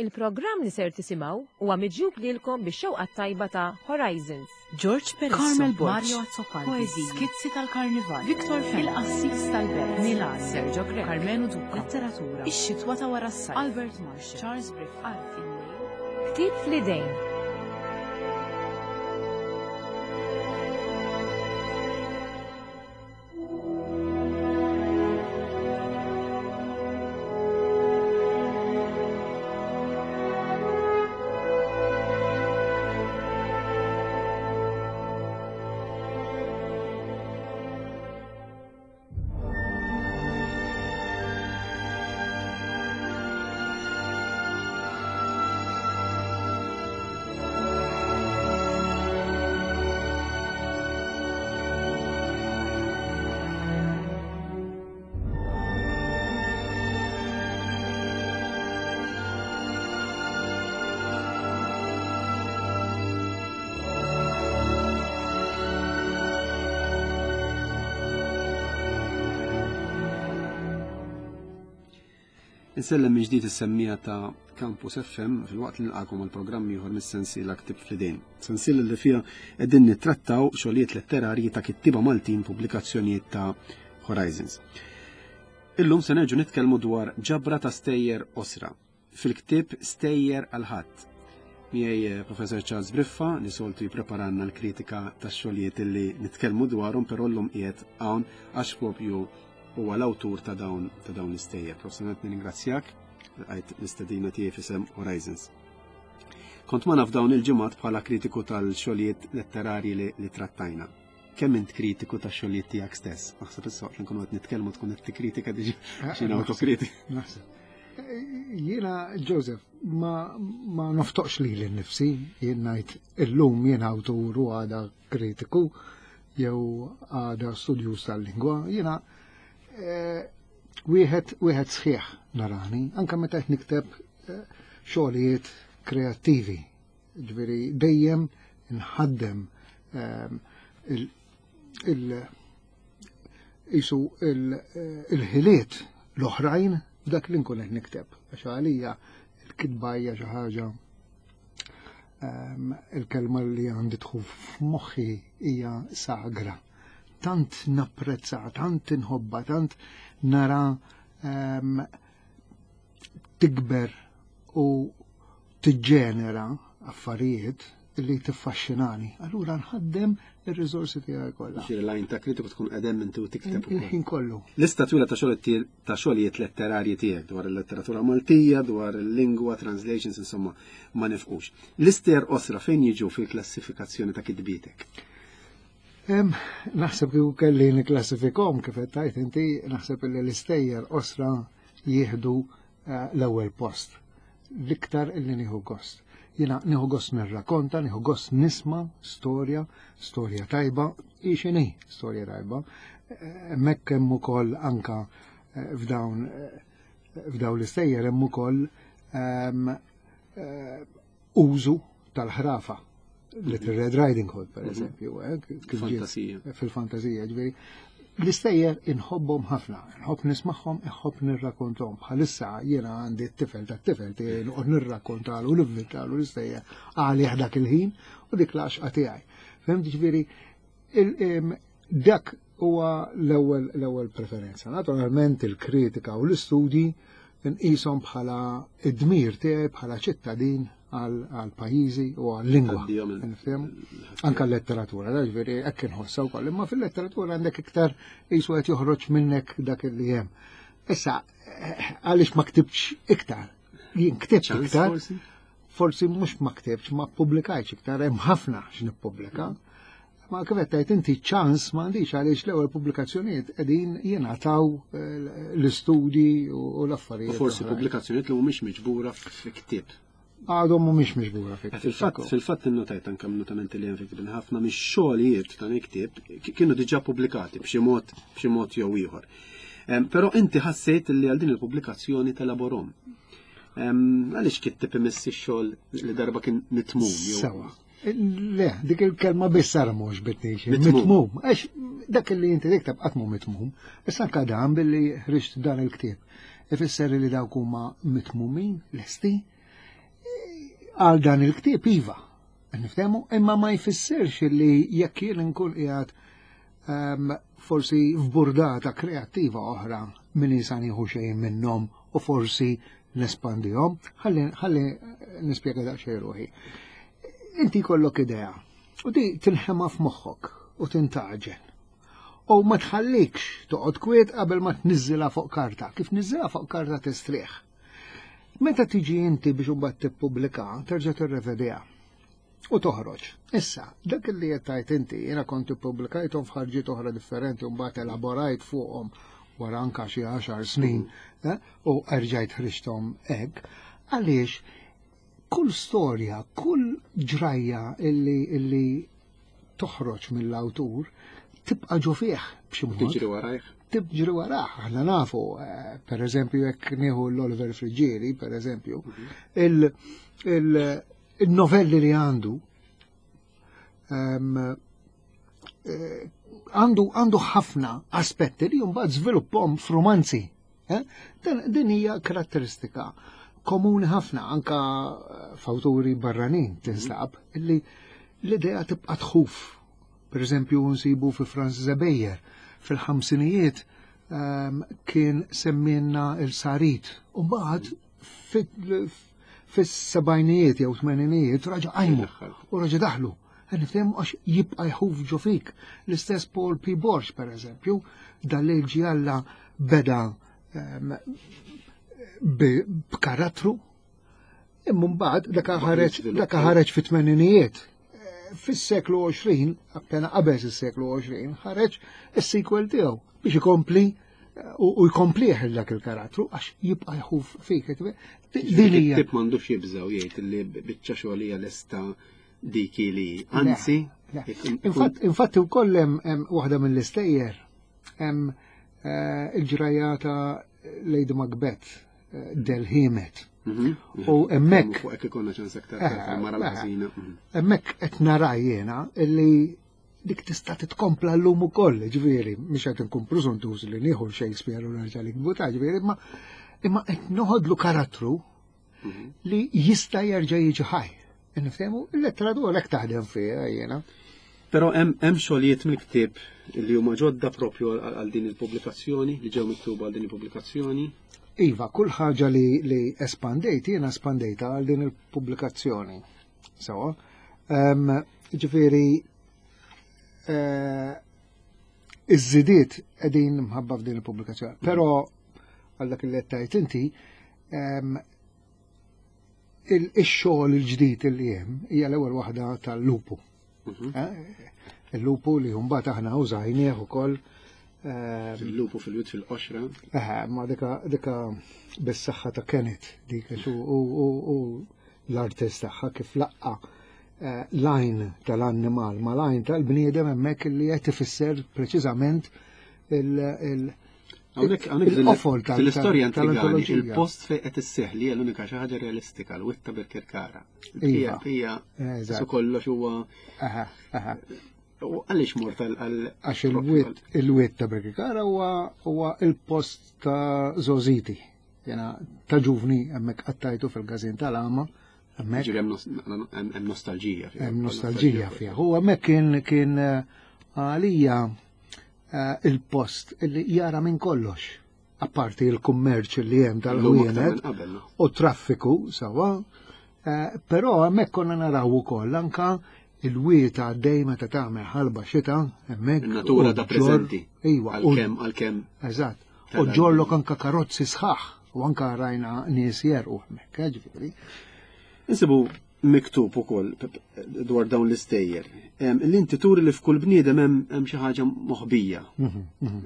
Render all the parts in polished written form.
Il-programm li ser tisimgħu huwa miġjub lilkom bix-xewqa t-tajba ta' Horizons. George Peresso, Carmel Borg, Mario Azzopardi, Poeżiji, Skizzi tal-Karnival, Victor Fenech, Il-Qassis tal-Belt, Milan, Sergio Grech, Karmenu Duca, Letteratura, Ix-Xitwa ta' wara s-sajf, Albert Marshall, Charles Briffa, Art il-Lejl, Ktieb fl-idejn. Insellem minn ġdid is-semmija ta' Campus FM fil-waqt li nilqakom għal programm ieħor mis-sensiela Ktib fl-idejn. Sensiela li fiha qegħdin nittrattaw xogħlijiet letterarji ta' kittiba Maltin pubblikazzjonijiet ta' Horizons. Illum se nerġu nitkellmu dwar ġabra ta' stejjer osra fil-ktieb Stejjer għal ħadd. Miegħi eh, Professor Charles Briffa li soltu jippreparanna l-kritika tax-xogħlijiet li nitkellmu dwarhom però llum qiegħed hawn għax propju huwa l-awtur ta' dawn ta' dawn l-istejjer. Professor nirringrazzjak għajt l-istedina tiegħi f'isem Horizons. Kont ma naf dawn il-ġimgħat bħala kritiku tal-xogħlijiet letterarji li, li trattajna. Kemm int kritiku tax-xogħlijiet tiegħek stess? Naħseb issa waqt li nkunu qed nitkellmu tkun qed tikkritika diġà ah, xi autokritika. Naħseb. Jiena Joseph ma, ma noftoqx li l-nifsi, jien ngħid illum jien awtur u għada kritiku jew għada studjuż tal-lingwa, jiena eh, wieħed wieħed sħiħ narani, anke meta qed nikteb eh, xogħlijiet kreattivi. Ġifieri dejjem nħaddem ehm, il, il isu il-ħiliet l-oħrajn f'dak li nkun qed nikteb. Għax għalija il-kitba hija xi ħaġa ehm, il-kelma li għandi tħu f'moħħi hija sagra. Tant napprezza, tant inħobba, tant nara ehm, tikber u tiġġenera affarijiet li tiffaxxinani. Allura nħaddem ir-riżorsi tiegħi kollha. Ġifieri lajn ta' kritiku tkun qedem inti u tikteb ukoll. Il-ħin kollu. Lista twila ta' xogħol ta' xogħlijiet letterarji tiegħek dwar il-letteratura Maltija, dwar il-lingwa, translations, insomma, ma nifqux. L-istejjer qosra fejn jiġu fil-klassifikazzjoni ta' kitbietek? Naħseb kieku kelli nikklassifikhom kif qed tgħid inti, naħseb li l-istejjer qosra jieħdu eh, l-ewwel post. L-iktar illi nieħu gost. Jiena nieħu gost nirrakonta, nieħu gost nisma' storja, storja tajba, hi x'inhi storja tajba. Eh, hemmhekk hemm ukoll anka eh, f'dawn f'dawn l-istejjer hemm ukoll ehm, użu tal-ħrafa. Little Red Riding Hood, per mhm. eżempju, eh, fil-fantasija. Fil-fantasija, ġveri. L-istejjer inħobbhom ħafna, nħobb nismagħhom, inħobb nirrakontom. Bħalissa jiena għandi t-tifel ta' tifel tiegħi noqgħod nirrakkontalu nivvintalu l-istejjer għalih dak il-ħin u dik l-għaxqa tiegħi. Fehmt ġifieri dak huwa l-ewwel l-ewwel preferenza. Naturalment il-kritika u l-istudji nqishom bħala id-dmir tiegħi bħala ċittadin għal pajjiżi u għal lingwa. Anka l-letteratura, ġifieri hekk inħossha wkoll, imma fil-letteratura għandek iktar qisu qed joħroġ minnek dak li hemm. Issa, għaliex ma ktibx iktar? Jien ktibt iktar. Forsi mhux ma ktibx, ma ppubblikajtx iktar, hemm ħafna x'nippubblika. Ma kif qed tgħid inti ċans m'għandix għaliex l-ewwel pubblikazzjonijiet qegħdin jingħataw eh, l-istudji u l-affarijiet. Forsi pubblikazzjonijiet li mhumiex miġbura fi ktieb. Għadhom mhumiex miġbura fi ktieb. Fil-fatt fil-fatt innotajt anke notamenti li hemm fi ħafna mix-xogħlijiet ta' ktieb kienu diġà pubblikati b'xi mod b'xi mod jew ieħor. Però inti ħassejt li għal din il-pubblikazzjoni telaborom. Għaliex kittib imissi x-xogħol li darba kien mitmum? Sewa. Le, dik il-kelma biss sara mhux bitnix. Mitmum. Għax dak li inti tikteb qatt mhu mitmum. Issa anke dan billi ħriġt dan il-ktieb. Ifisser li dawk huma mitmumin lesti. Għal dan il-ktieb iva, niftehmu, imma ma jfissirx li jekk jien nkun qiegħed forsi f'burdata kreattiva oħra min jisa nieħu xejn minnhom u forsi nespandihom. Ħalli nispjega daqsxejn ruħi. Inti jkollok idea u di tinħema f'moħħok u tintaġen. U ma tħallikx toqgħod kwiet qabel ma tniżżilha fuq karta. Kif niżżilha fuq karta tistrieħ. Meta tiġi inti biex imbagħad tippubblika, terġa' tirrevediha u toħroġ. Issa, dak li qed tgħid inti, jiena kont ippubblikajthom f'ħarġiet oħra differenti u mbagħad elaborajt fuqhom wara anka xi 10 snin eh, u erġajt ħriġthom hekk, għaliex kull storja, kull ġrajja illi, illi toħroġ mill-awtur tibqa' ġo fih b'xi mod. Tiġri warajh. Tiġri warah, aħna nafu, eh, per eżempju, jekk nieħu l-Oliver Friggieri, per eżempju, il-novelli li għandu eh, għandu għandu ħafna aspetti li mbagħad żvilupphom f'romanzi. Eh? Din hija karatteristika komuni ħafna anka eh, f'awturi barranin tinstab illi l-idea tibqa' tħuf. Per eżempju nsibu fi Franz Zebejer fil-ħamsinijiet kien semminna il-sarit u mbagħad fis-sebgħinijiet jew tmeninijiet raġa' qajmu u raġa' daħlu. Nifhem għax jibqa' jħuf ġo fik. L-istess Paul P. Borg, per eżempju, dal-lejl ġialla beda ehm, b'karattru, imma mbagħad dak ħareġ dak ħareġ fit-tmeninijiet. Fis-seklu 20, appena qabel is-seklu 20, ħareġ is-sequel tiegħu biex ikompli u jkomplih dak il-karattru għax jibqa' jħuf fik. Din hija. Tip m'għandux jibżgħu jgħid li biċċa xogħol hija lesta dik li anzi. Infatti wkoll hemm waħda mill-istejjer hemm eh, il-ġrajja ta' Lady Macbeth eh, Del Himet. Mhm. U hemmhekk. Fuq hekk ikollna ċans aktar eh, mara l-ħażina. Mhm. Hemmhekk qed nara jiena illi dik tista' titkompla llum ukoll, ġifieri, mhux qed inkun preżuntuż li nieħu Shakespeare u nerġa' nikbu ta' ġifieri, imma imma qed noħodlu karattru mhm. li jista' jerġa' jiġi ħaj. Niftehmu, il-letteratura hekk taħdem fiha jiena. Però hemm xogħlijiet mill-ktieb li huma ġodda propju għal din il-pubblikazzjoni, li ġew miktuba għal din il-pubblikazzjoni. Iva, kull ħaġa li, li espandejt, jiena espandejta għal din il-pubblikazzjoni. Sawa. Ġifieri eh, iż-żidiet qegħdin mħabba f'din il-pubblikazzjoni. Però għal dak li qed tgħid inti, ix-xogħol il-ġdid li hemm hija l-ewwel waħda tal-lupu. Mhm. Eh, il-lupu li mbagħad aħna użajnieh ukoll Il-lupu fil-wit fil-qoxra. Eh, ma dika dika bis-saħħa ta' Kenneth dik u l-artist tagħha kif laqqa eh, l-għajn tal-annimal ma l-għajn tal-bniedem hemmhekk li qed ifisser preċiżament il- Hawnhekk il-qofol tal-istorja intrigani il-post fejn qed isseħħ li hija l-unika xi ħaġa realistika l-witta bil-kirkara. Iva. Hija su kollox huwa. U għaliex mort għal Għax il-witt il-witt ta' Birkirkara huwa il-post ta' Zoziti. Jena ta' ġuvni hemmhekk qattajtu fil-gazin tal-għama. Hemmhekk. Hemm nostalġija fih. Hemm nostalġija fih. U hemmhekk kien kien eh, għalija eh, il-post li jara minn kollox. Apparti il-kummerċ li hemm tal-ħwienet u traffiku sawa, eh, però hemmhekk konna naraw ukoll anka il-wiet għaddej meta tagħmel ħalba xita hemmhekk. Natura ta' preżenti. Iva. Għalkemm għalkemm. Eżatt. U ġollok anka karozzi sħaħ u anka rajna nies jerqu hemmhekk, eh, ġifieri. Insibu miktub ukoll dwar dawn l-istejjer. Li inti turi li f'kull bniedem hemm xi ħaġa moħbija. Mhm, mhm.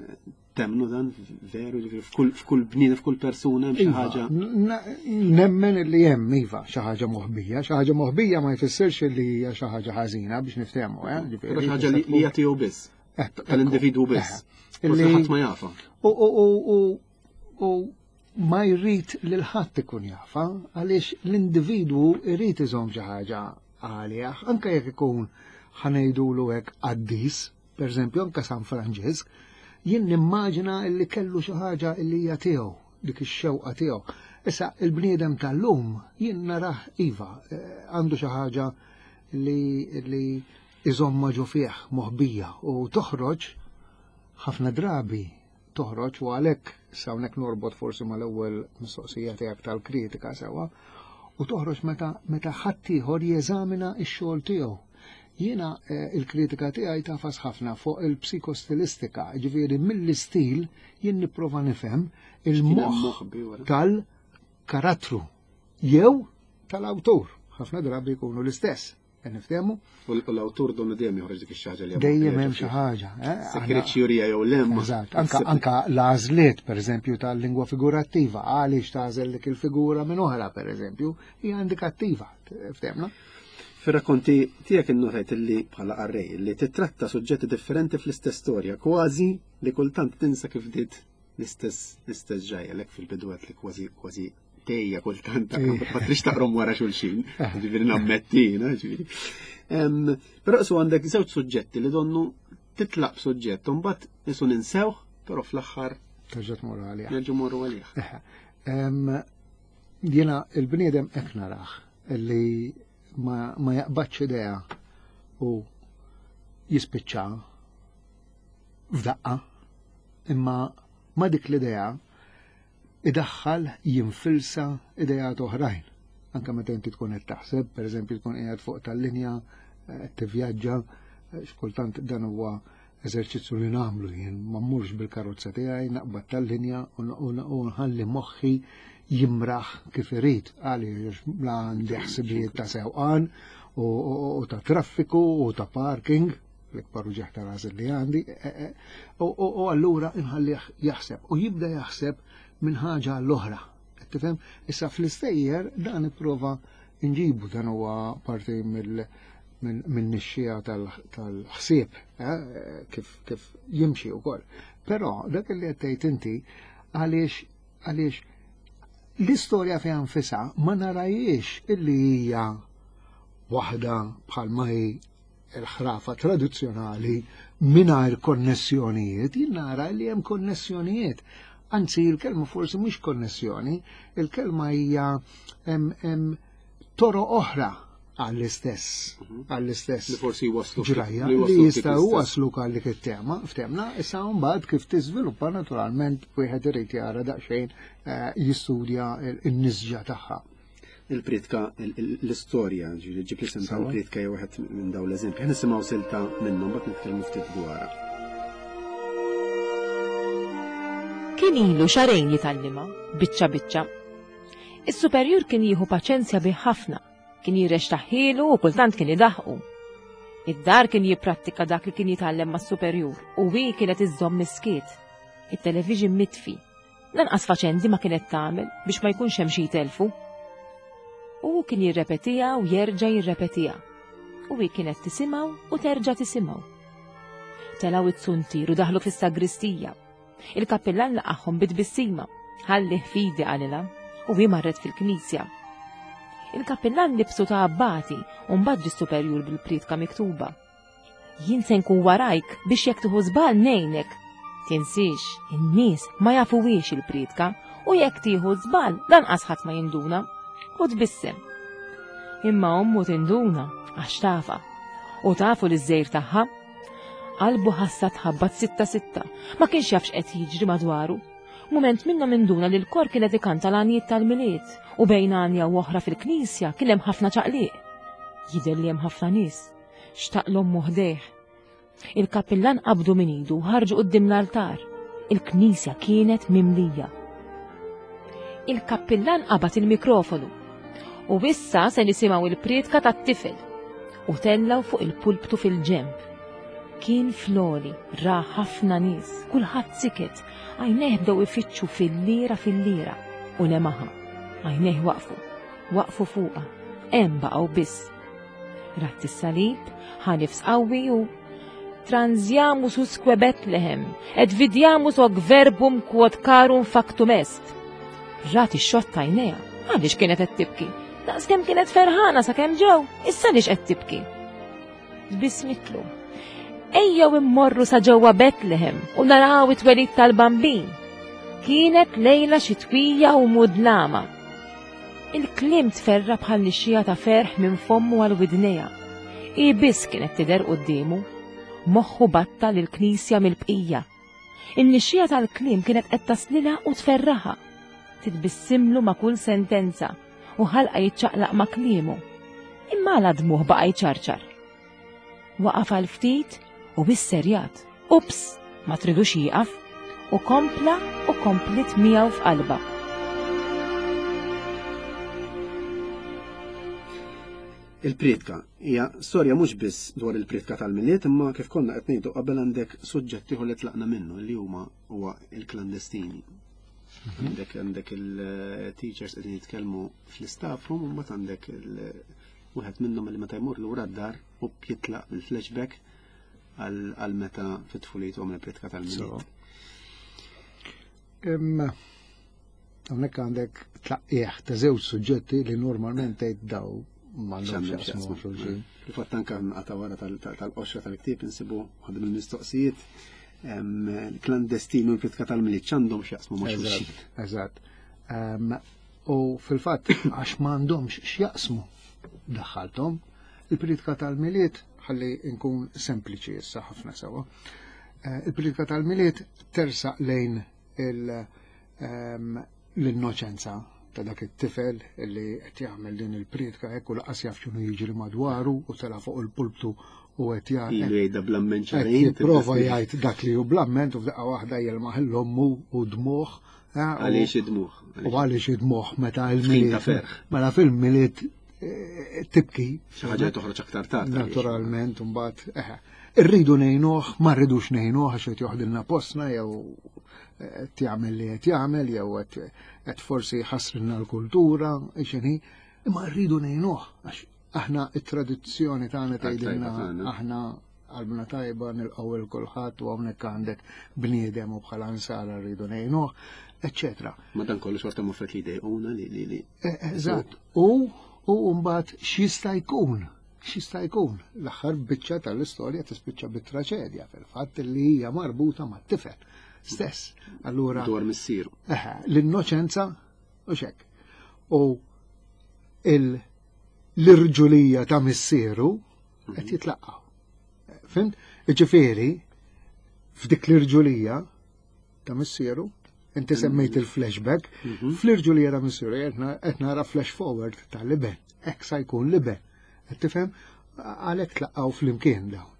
Temnu dan veru ġifieri f'kull bniedem f'kull persuna hemm xi iva, ħaġa. Nemmen li hemm iva xi ħaġa moħbija, xi ħaġa moħbija ma jfissirx li hija xi ħaġa ħażina biex niftehmu, eh, ġifieri. Xi ħaġa li hija tiegħu biss. Eh, tal-individwu biss. Eh, illi ħadd ma jafa. U ma jrid lil ħadd ikun jafa għaliex l-individwu jrid iżomm xi ħaġa għalih, anke jekk ikun ħanejdulu hekk qaddis, per eżempju anke San Franġisk, jien nimmaġina illi kellu xi ħaġa illi hija tiegħu, dik ix-xewqa tiegħu. Issa il-bniedem tal-lum jien narah iva eh, għandu xi ħaġa li, li iżomma ġo fih moħbija u toħroġ ħafna drabi toħroġ u għalhekk sa hawnhekk norbot forsi mal-ewwel mistoqsija tiegħek tal-kritika sewwa u toħroġ meta meta ħaddieħor jeżamina x-xogħol tiegħu. Jiena eh, il-kritika tiegħi tafas ħafna fuq il-psikostilistika, ġifieri mill-istil jien nipprova nifhem il-moħħ tal-karattru jew tal-awtur. Ħafna drabi jkunu l-istess. Niftehmu? U l-awtur donu dejjem joħroġ dik ix-xi li Dejjem hemm xi ħaġa. Eh? Sekret jurija jew lem. Eżatt, anka anka l-għażliet pereżempju tal-lingwa figurattiva, għaliex tagħżel dik il-figura minn oħra pereżempju, hija indikattiva, ftehmna? Fir-rakkonti tiegħek innotajt li bħala qarrej li titratta suġġetti differenti fl-istess storja, kważi li kultant tinsa kif bdiet l-istess l-istess ġajja lek fil-bidu li kważi kważi tejja kultant ma trix taqrom wara xulxin, eh. ġifieri nammettina, ġifieri. Però su għandek żewġ suġġetti li donnu titlaq b'suġġett u mbagħad isu ninsewh, però fl-aħħar terġa' tmur għalih. Nerġgħu morru għalih. Eh. Jiena il-bniedem hekk narah li ma, ma jaqbadx idea u jispiċċa f'daqqa imma ma dik l-idea idaħħal jinfilsa ideat oħrajn. Anke meta inti tkun qed taħseb, pereżempju tkun qiegħed fuq tal-linja eh, tivvjaġġa, eh, xkultant dan huwa eżerċizzju li nagħmlu jien ma mmurx bil-karozza tiegħi naqbad tal-linja u nħalli moħħi jimraħ kif irid għaliex la għandi ħsibijiet ta' sewqan u ta' traffiku u ta' parking l-ikbar uġeħ ta' ras li għandi, e, e, u allura inħallih jaħseb u jibda jaħseb minn ħaġa l-oħra. Tifhem? Issa fl-istejjer dan ipprova nġibu dan huwa parti mill minn nixxija tal-ħsieb eh, kif, kif jimxi wkoll. Però dak li qed tgħid inti għaliex għaliex l-istorja fiha nfisha ma narajiex illi hija waħda bħalma hi il-ħrafa tradizzjonali mingħajr konnessjonijiet, jien nara li hemm konnessjonijiet. Anzi, il-kelma forsi mhux konnessjoni, il-kelma hija hemm toro oħra għall-istess, mhm. għall-istess. Li forsi waslu ġrajja li jistgħu waslu għal dik it-tema, ftemna, issa mbagħad kif tiżviluppa naturalment wieħed irid jara daqsxejn eh, jistudja n-nisġa tagħha. Il-pritka, l-istorja, ġifieri ġib l-isem tal-pritka jew wieħed minn dawn l-eżempji. Ħa nisimgħu silta minnhom mbagħad nitkellmu ftit dwarha. Kien ilu xarejn jitgħallimha, biċċa biċċa. Is-superjur kien jieħu paċenzja bih ħafna, kien jirrextaħħielu u kultant kien idaħqu. Id-dar kien jipprattika dak li kien jitgħallem mas-superjur u hi kienet iżżomm miskiet. It-television mitfi Lanqas faċendi ma kienet tagħmel biex ma jkunx hemm xi jtelfu. U hu kien jirrepetiha u jerġa' jirrepetiha. U hi kienet tisimgħu u terġa' tisimgħu. Telgħu it-suntir u daħlu fis-sagristija. Il-kappillan laqagħhom bi tbissima. Ħallih fidi qalilha u hi marret fil-knisja. Il-kappillan libsu ta' abbati u mbagħad ġie superjur bil-priedka miktuba. Jien se nkun warajk biex jekk tieħu żball ngħinek. Tinsiex, in-nies ma jafuhiex il-priedka u jekk tieħu żball lanqas ħadd ma jinduna. U tbissem. Imma ommu tinduna għax tafa. U tafu li żejr tagħha. Qalbu ħassa tħabbat sitta sitta, ma kienx jaf x'qed jiġri madwaru. Mument minnhom induna li l-kor kien qed ikanta l-għanjiet tal-Milied u bejn għanja u oħra fil-knisja kien hemm ħafna ċaqliq. Jidher li hemm ħafna nies. Xtaq l-ommu ħdejh. Il-kappillan qabdu minn idu u ħarġu quddiem l-altar. Il-knisja kienet mimlija. Il-kappillan qabad il-mikrofonu. U issa se nisimgħu il-prietka tat-tifel. U tellaw fuq il-pulptu fil-ġemp. Kien floli, ra ħafna nies, kulħadd siket, għajnejh bdew ifittxu fil-lira fil-lira u lemaħa. Għajnejh waqfu, waqfu fuqha, hemm baqgħu biss. Rat is-salib, ħa nifs qawwi u Transiamus usque Bethlehem, et vidiamus hoc verbum quod carum factum est. Rat ix-xott għajnejha, għaliex kienet qed tibki? Daqskemm kienet ferħana sakemm ġew, issa għaliex qed tibki? Tbissmitlu. Ejjew immorru sa ġewwa Bethlehem u naraw it-twelid tal-Bambin. Kienet lejla xitwija u mudlama. Il-kliem tferra bħal nixxija ta' ferħ minn fommu għal widnejha. Hi biss kienet tidher quddiemu. Moħħu batta lill-knisja mill-bqija. In-nixxija tal-kliem kienet qed taslilha u tferraħha. Titbissimlu ma' kull sentenza u ħalqa jiċċaqlaq ma' kliemu. Imma għala dmuh baqa' jċarċar. Waqaf għal ftit u isserjat. Ups, ma tridux jieqaf u kompla u komplit miegħu f'qalba. Il-priedka hija storja mhux biss dwar il-priedka tal-Milied imma kif konna qed ngħidu qabel għandek suġġett ieħor li tlaqna minnu li huma huwa il-klandestini. Mhm. Għandek għandek il-teachers qegħdin jitkellmu fl-istaff room u mbagħad għandek wieħed minnhom li meta jmur lura d-dar u jitlaq bil-flashback għal meta fit-tfuliet u għamel priedka tal-Milied. Imma hawnhekk għandek tlaqqieħ ta' żewġ suġġetti li normalment tgħid daw m'għandhomx jaqsmu xulxin. Fil-fatt anke għata wara tal-qoxra tal-ktieb insibu waħda mill-mistoqsijiet klandestinu l-kritika tal-miliet x'għandhom x'jaqsmu ma' xulxin. Eżatt. U fil-fatt għax m'għandhomx x'jaqsmu daħħalthom il-politika tal-miliet ħalli nkun sempliċi issa ħafna sewa. Eh, il-politika tal-miliet tersaq lejn ehm, l-innoċenza ta' dak it-tifel li qed jagħmel din il-priedka hekk u laqas jaf x'inhu jiġri madwaru u tela' fuq il-pulptu u qed jgħid. Jgħidha bl-amment xarejn. Jipprova jgħid dak li hu bl-amment u f'daqqa waħda jelmaħ l-ommu u dmuħ. Eh, għaliex id-dmuħ. U għaliex id-dmuħ meta il-miliet. Mela fil-miliet eh, tibki. Xi ħaġa toħroġ aktar tard. Naturalment, mbagħad eh, irridu ngħinuh, ma rridux ngħinuh għax qed joħdilna postna jew qed jagħmel li qed jagħmel jew qed forsi jħassrilna l-kultura, x'inhi, imma rridu ngħinuh għax aħna it-tradizzjoni tagħna tgħidilna aħna qalbna tajba nilqgħu il kulħadd u hawnhekk għandek bniedem u bħala nsara rridu ngħinuh, eċċetera. Ma dan kollu xorta muffet li jdejquna li li li. E, eżatt. U u mbagħad x'jista' jkun? X'jista' jkun? L-aħħar biċċa tal-istorja tispiċċa bit-traċedja fil-fatt li hija marbuta mat-tifel stess. Allura dwar missieru. L-innoċenza u xek. U l-irġulija ta' missieru qed mhm. jitlaqgħu. Fimt? Ġifieri, f'dik l-irġulija ta' missieru, inti mhm. semmejt il-flashback, mhm. fl-irġulija ta' missieru qed nara flash forward ta' liben, hekk sa jkun liben. Qed tifhem għalhekk tlaqgħu flimkien dawn.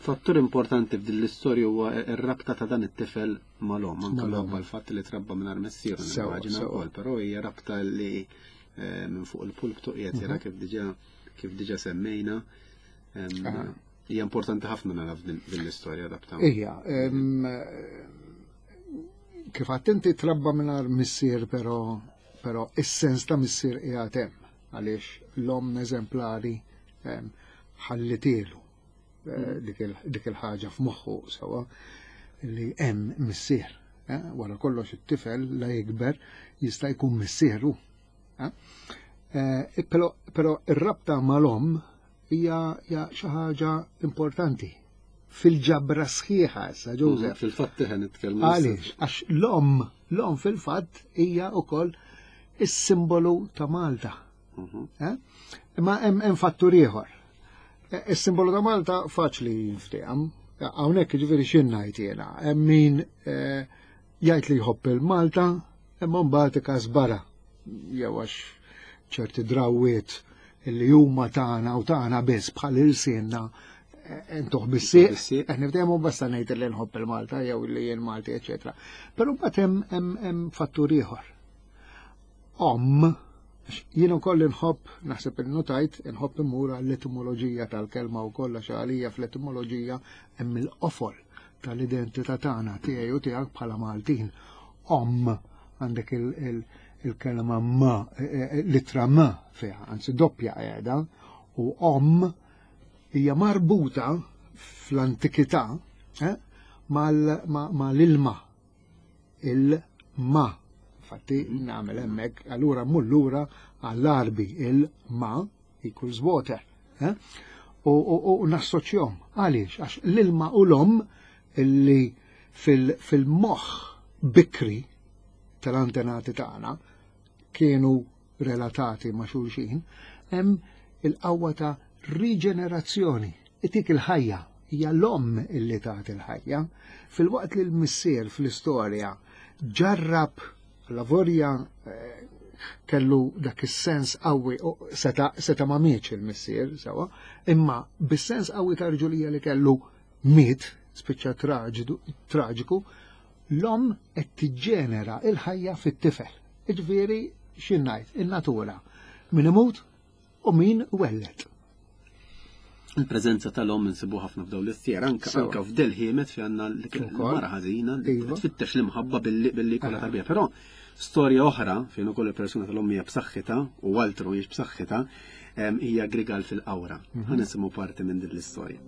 Fattur importanti f'din l-istorja huwa r-rabta ta' dan it-tifel mal-omm, anke minħabba l-fatt li trabba mingħajr missier, nimmaġina wkoll, però hija rabta li eh, minn fuq il-pulptu qiegħed jara mhm. kif diġà kif diġà semmejna. Hija importanti ħafna nara f'din l-istorja rabta. Ija, kif għattinti trabba mingħajr missier però però is-sens ta' missier qiegħed hemm għaliex l-omm eżemplari ħallitielu eh, dik il-ħaġa f'moħħu sewa li hemm missier. Eh, wara kollox it-tifel la jikber jista' jkun missieru. Eh, però ir-rabta mal-omm hija xi ħaġa importanti fil-ġabra sħiħa issa Joseph. Fil-fatt teħen nitkellmu. Għaliex, għax l-omm, l-omm fil-fatt hija wkoll is-simbolu ta' Malta. Mhm. Eh? Imma hemm fattur ieħor. Eh, is-simbolu ta' Malta faċli jinfteham. Hawnhekk jiġifieri x'in ngħid jiena. Hemm min eh, jgħid li jħobb il-Malta, imma mbagħad ikasbara jew għax ċerti drawwiet li huma tagħna u tagħna biss bħal ilsienna intuħ bis-sieq, qed niftehmu basta ngħid li nħobb il-Malta jew li jien Malti, eċetera. Però mbagħad hemm fattur ieħor. Omm, jien ukoll inħobb, naħseb innotajt, inħobb immur għall-etimoloġija tal-kelma wkoll għax għalija fl-etimoloġija hemm il-qofol tal-identità tagħna tiegħi u tiegħek bħala Maltin. Omm għandek il-kelma ma, e, e, e, litra ma fiha, anzi doppja qiegħda, u omm hija marbuta fl-antikità eh, mal-ilma il-ma. Infatti nagħmel hemmhekk allura mmur lura għall-Arbi il-ma equals water. Eh? U nassoċjhom. Għaliex? Għax l-ilma u l-om illi fil-moħħ bikri tal-antenati tagħna kienu relatati ma' xulxin, hemm il-qawwa ta' riġenerazzjoni. Itik il-ħajja, hija l-omm illi tagħti il-ħajja, filwaqt li l-missier fl-istorja ġarrab lavorja eh, kellu dak is-sens qawwi seta, seta ma mietx il-missier sewa, imma bis-sens qawwi ta' rġulija li kellu miet, spiċċa traġiku, l-omm qed tiġġenera il-ħajja fit-tifel. Iġifieri xi ngħid, in-natura. Min imut u min welled. Il-preżenza tal-omm insibu ħafna f'dawn l-istjer, anka anka f'del ħiemet fi għandna l-mara ħażina li iva. tfittex l-imħabba billi billi kollha eh. tarbija. Però storja oħra fejn ukoll il-persuna tal-omm hija b'saħħitha u altru hijiex b'saħħitha hija Grigal fil-qawra. Mhm. Ħa nisimgħu parti minn din l-istorja.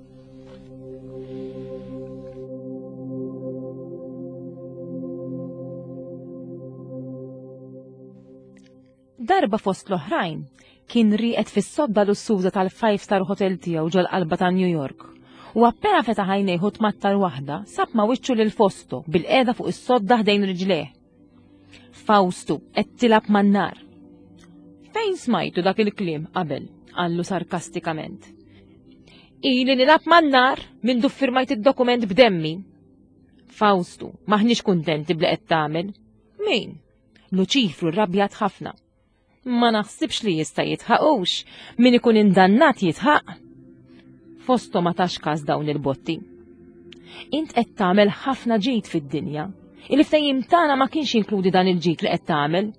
Darba fost l-oħrajn, kien rieqed fis-sodda lussuża tal-five star hotel tiegħu ġol-qalba ta' New York. U appena fetaħ għajnejh u tmattar waħda, sab ma' wiċċu lil Fosto bil-qiegħda fuq is-sodda ħdejn riġlejh. Fawstu, qed tilgħab man-nar. Fejn smajtu dak il-kliem qabel? qallu sarkastikament. Ili nilgħab man-nar mindu ffirmajt id-dokument b'demmi. Fawstu, maħniex kuntenti bli qed tagħmel. Min? Luċifru rrabjat ħafna. Ma naħsibx li jista' jitħaqux, min ikun indannat jitħaq. Fosto ma tax każ dawn il-botti. Int qed tagħmel ħafna ġid fid-dinja. Il-ftehim tagħna ma kienx jinkludi dan il-ġid li qed tagħmel,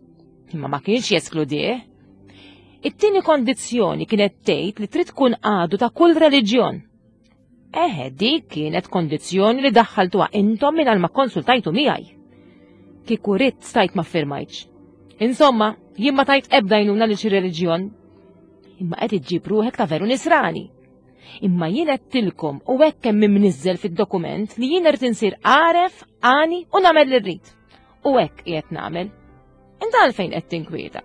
imma ma kienx jeskludih. It-tieni kondizzjoni kienet tgħid li trid tkun għadu ta' kull reliġjon. Eħe, dik kienet kondizzjoni li daħħaltuha intom mingħajr ma konsultajtu miegħi. Kieku ridt stajt ma ffirmajtx. Insomma, jien ma tajt ebda għajnuna lil xi reliġjon. Imma qed iġġib ruħek ta' veru nisrani. Imma jien għedtilkom u hekk hemm imniżżel fid-dokument li jien irid insir għaref, għani u nagħmel li rrid. U hekk qiegħed nagħmel. Inta għalfejn qed tinkwieta?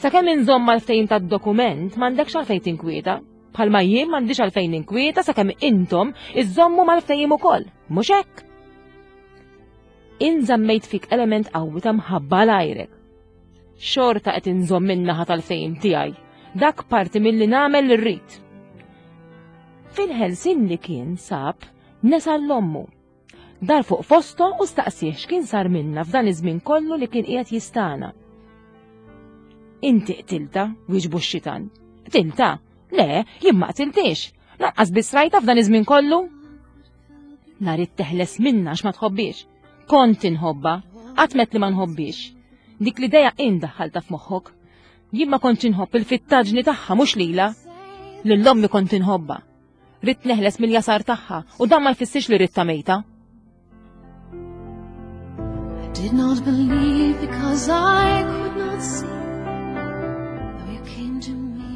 Sakemm inżomm mal-ftehim tad-dokument m'għandekx għalfejn tinkwieta. Bħalma jien m'għandix għalfejn ninkwieta sakemm intom iżommu mal-ftehim ukoll, mhux hekk? Inżammejt fik element qawwi ta' mħabba l-ajrek. Xorta qed inżomm min-naħa tal-ftehim tiegħi. Dak parti milli nagħmel li rrid. Fil-ħelsin li kien sab nesa l-ommu Dar fuq Fosto u staqsih x'kien sar minna f'dan iż-żmien kollu li kien qiegħed jistana. Inti qtilta, wieġbu x-xitan. Qtilta? Le, jien ma qtiltix. Lanqas biss rajta f'dan iż-żmien kollu. Nhar teħles minna għax ma tħobbix. Kont inħobba, qatt met li ma nħobbix. Dik l-idea in daħħalta f'moħħok. Jien ma kontx inħobb il-fittaġni tagħha mhux lila. Lil ommi kont inħobba. Ridt neħles mill-jasar tagħha u dan ma jfissirx li ridtha mejta. I did not believe because I could not see. Though you came to me.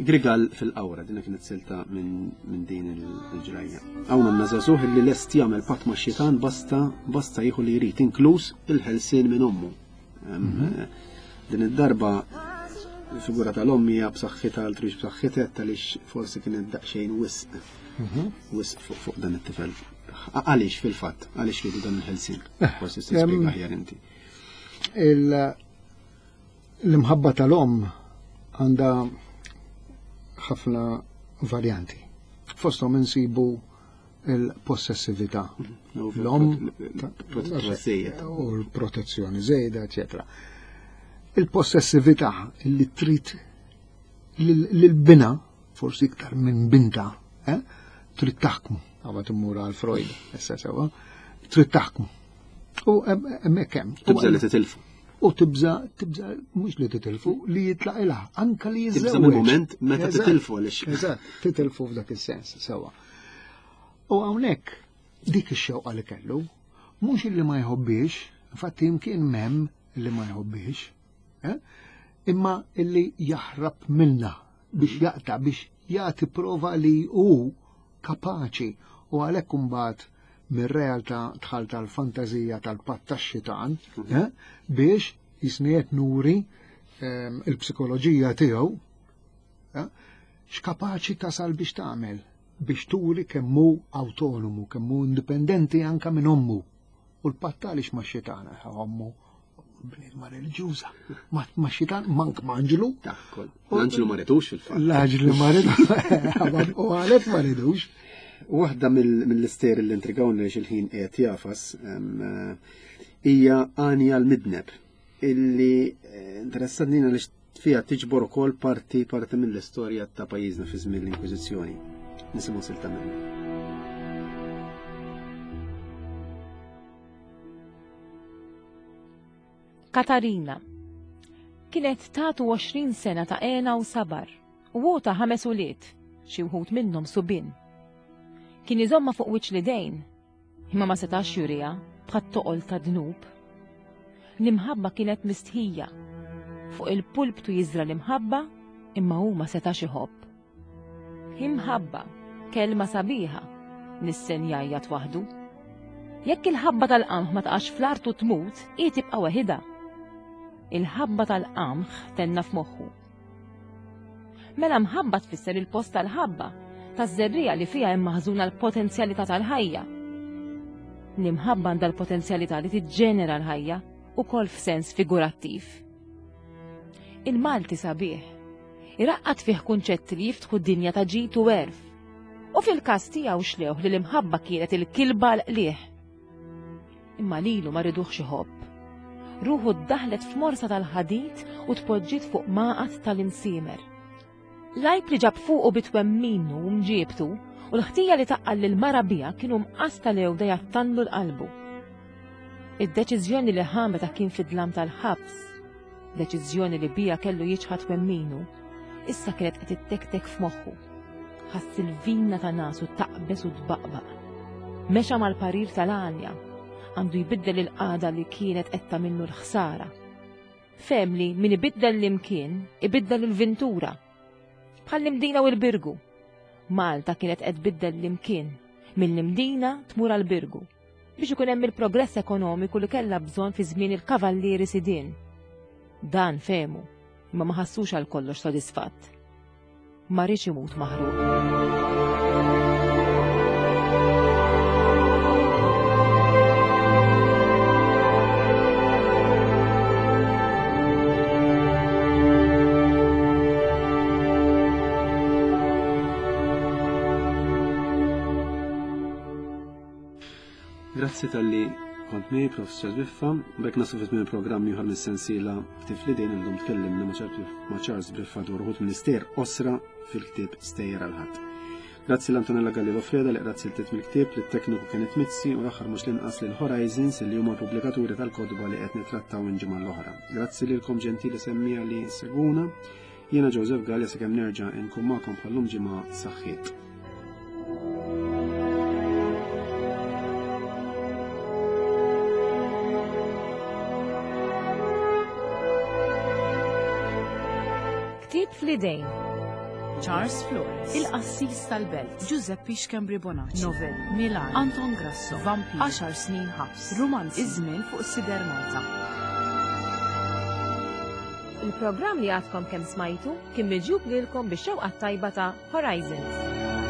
Grigal fil-qawra, dinna kienet silta minn din il-ġrajja. Hawn għandna żagħżugħ li lest jagħmel patt ma' xitan basta basta jieħu li jrid, inkluż il-ħelsien minn ommu. Mhm. Din id-darba il-figura tal-omm hija b'saħħitha għal trix b'saħħitha għaliex forsi kienet daqsxejn wisq. Mhm. Wisq fuq dan it-tifel. Għaliex fil-fatt, għaliex ridu dan il-ħelsien? Eh, forsi tispjega aħjar inti. L-imħabba tal-omm għandha ħafna varjanti. Fosthom insibu il-possessività. L-om u l-protezzjoni żejda, eccetera. Il-possessività li trid lil-bina, forsi iktar minn binta, eh, trid taħkmu, għaba timmur għal Freud, issa sewa, trid taħkmu. U hemmhekk hemm. Tibża li titilfu. U tibża, tibża mhux li titilfu, li jitlaq ilha, anka li jiżżewweġ. Tibża mill-moment meta titilfu għaliex. Eżatt, titilfu f'dak is-sens, sewa. U hawnhekk dik ix-xewqa li kellu, mhux illi ma jħobbix, infatti imkien m'hemm li ma jħobbix, eh? imma illi jaħrab minna biex jaqta' biex jagħti prova li hu kapaċi u għalhekk imbagħad mir-realtà dħal tal-fantażija tal-patt tax-xitan mhm. eh? biex jisniet nuri ehm, il-psikoloġija tiegħu eh? x'kapaċi tasal biex tagħmel biex turi kemm hu awtonomu, kemm hu indipendenti anka minn ommu. U l-patt għaliex ma' xitana, ommu Bniedma reliġjuża. Ma xitan mank m'anġlu. Takkol. L-anġlu ma ridux fil-fatt. L-anġlu ma ridux. U għalhekk ma ridux. Waħda mill-istejjer li intrigawni li xil-ħin qiegħed jafas eh, hija Għanja l-Midneb illi eh, interessatni għaliex fiha tiġbor ukoll parti parti mill-istorja ta' pajjiżna fi żmien l-Inkwiżizzjoni. Nisimgħu silta minnu. Katarina kienet tatu 20 sena ta' għena u sabar u hu ta' ħames ulied, xi wħud minnhom subien. Kien iżomma fuq wiċċ l-idejn, imma ma setax juriha bħat-toqol ta' dnub. L-imħabba kienet mistħija. Fuq il-pulptu jiżra l-imħabba, imma hu ma setax iħobb. Imħabba, kelma sabiħa, nissen jgħajjat waħdu. Jekk il-ħabba tal-qamħ ma taqax fl-art u tmut, hi tibqa' weħidha. Il-ħabba tal-qamħ tenna f'moħħu. Mela mħabba tfisser il-post tal-ħabba, taż-żerriegħa li fiha hemm maħżuna l-potenzjalità tal-ħajja. L-imħabba għandha l-potenzjalità li tiġġenera l-ħajja, ukoll f'sens figurattiv. Il-Malti sabiħ. Iraqqad fih kunċetti li jiftħu dinja ta' ġid u għerf. U fil-każ tiegħu xlewh li l-imħabba kienet il-kilba l-qliħ. Imma lilu ma riduhx iħobb. Ruħu ddaħlet f'morsa tal-ħadid u tpoġġiet fuq maqgħad tal-imsiemer. L-għajb li ġab fuqu bi twemminu u mġiebtu u l-ħtija li taqqal lil mara biha kienu mqas tal-għewda jattanlu l-qalbu. Id-deċiżjoni li ħa meta kien fid-dlam tal-ħabs, deċiżjoni li biha kellu jiċħad twemminu, issa kienet qed ittektek f'moħħu. Ħass il-vina ta' nasu taqbeż u tbaqbaq. Mexa mal-parir tal-għanja, għandu jbiddel il-qagħda li kienet qed tagħmillu l-ħsara. Fehem li min ibiddel l-imkien, ibiddel il-vintura. Bħall-Imdina u l-Birgu. Malta kienet qed tbiddel l-imkien, mill-Imdina tmur għall-Birgu, biex ikun hemm il-progress ekonomiku li kellha bżonn fi żmien il-kavallieri sidien. Dan fehmu, imma ma ħassux għal kollox sodisfatt. Ma riedx imut maħruq. Grazzi tal-li kont miegħi Professor Biffa, bekk naslu fit minn programm ieħor mis-sensiela Tifli dejn illum tkellimna ma' Charles Biffa dwar uħud mill-istejjer qosra fil-ktieb Stejjer għal ħadd. Grazzi l-Antonella Galli Freda li qrat siltiet mill-ktieb, lit-tekniku Kenneth Mizzi u l-aħħar mhux l-inqas lil Horizons li huma l-pubblikaturi tal-kotba li qed nittrattaw minn ġimgħa l-oħra. Grazzi lilkom ġentili semmija li seguna. Jiena Joseph Gallia sakemm nerġa' nkun magħkom bħallum ġimgħa saħħiet. Ktieb fl-idejn. Charles Flores, Il-Qassis tal-Belt, Giuseppe Schembri Bonacci, Novelli, Milan, Anton Grasso, Vampir, 10 snin ħabs, Romanzi, Iż-żmien fuq Sider Malta. Il-programm li għadkom kemm smajtu kien miġjub lilkom bix-xewqa t-tajba ta' Horizons.